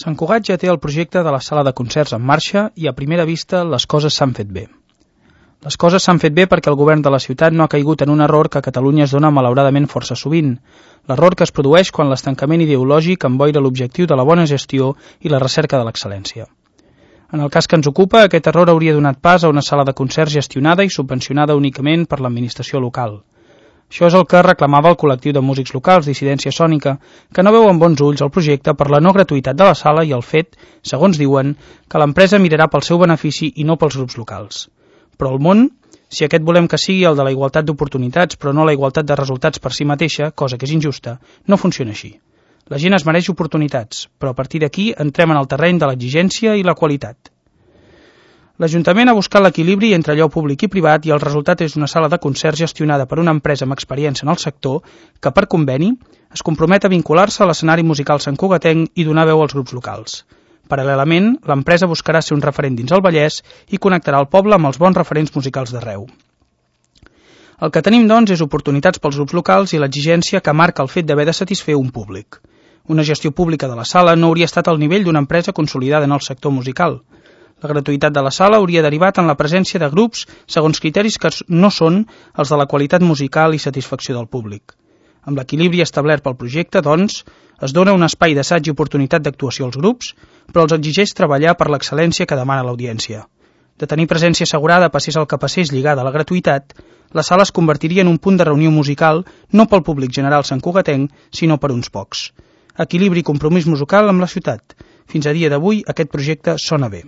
Sant Cugat ja té el projecte de la sala de concerts en marxa i a primera vista les coses s'han fet bé. Les coses s'han fet bé perquè el govern de la ciutat no ha caigut en un error que a Catalunya es dona malauradament força sovint, l'error que es produeix quan l'estancament ideològic emboira l'objectiu de la bona gestió i la recerca de l'excel·lència. En el cas que ens ocupa, aquest error hauria donat pas a una sala de concerts gestionada i subvencionada únicament per l'administració local. Això és el que reclamava el col·lectiu de músics locals Dissidència Sònica, que no veu amb bons ulls el projecte per la no gratuïtat de la sala i el fet, segons diuen, que l'empresa mirarà pel seu benefici i no pels grups locals. Però el món, si aquest volem que sigui el de la igualtat d'oportunitats però no la igualtat de resultats per si mateixa, cosa que és injusta, no funciona així. La gent es mereix oportunitats, però a partir d'aquí entrem en el terreny de l'exigència i la qualitat. L'Ajuntament ha buscat l'equilibri entre allò públic i privat i el resultat és una sala de concerts gestionada per una empresa amb experiència en el sector que, per conveni, es compromet a vincular-se a l'escenari musical santcugatenc i donar veu als grups locals. Paral·lelament, l'empresa buscarà ser un referent dins el Vallès i connectarà el poble amb els bons referents musicals d'arreu. El que tenim, doncs, és oportunitats pels grups locals i l'exigència que marca el fet d'haver de satisfer un públic. Una gestió pública de la sala no hauria estat al nivell d'una empresa consolidada en el sector musical. La gratuïtat de la sala hauria derivat en la presència de grups segons criteris que no són els de la qualitat musical i satisfacció del públic. Amb l'equilibri establert pel projecte, doncs, es dona un espai d'assaig i oportunitat d'actuació als grups, però els exigeix treballar per l'excel·lència que demana l'audiència. De tenir presència assegurada, passés el que passés lligada a la gratuïtat, la sala es convertiria en un punt de reunió musical no pel públic general santcugatenc, sinó per uns pocs. Equilibri i compromís musical amb la ciutat. Fins a dia d'avui, aquest projecte sona bé.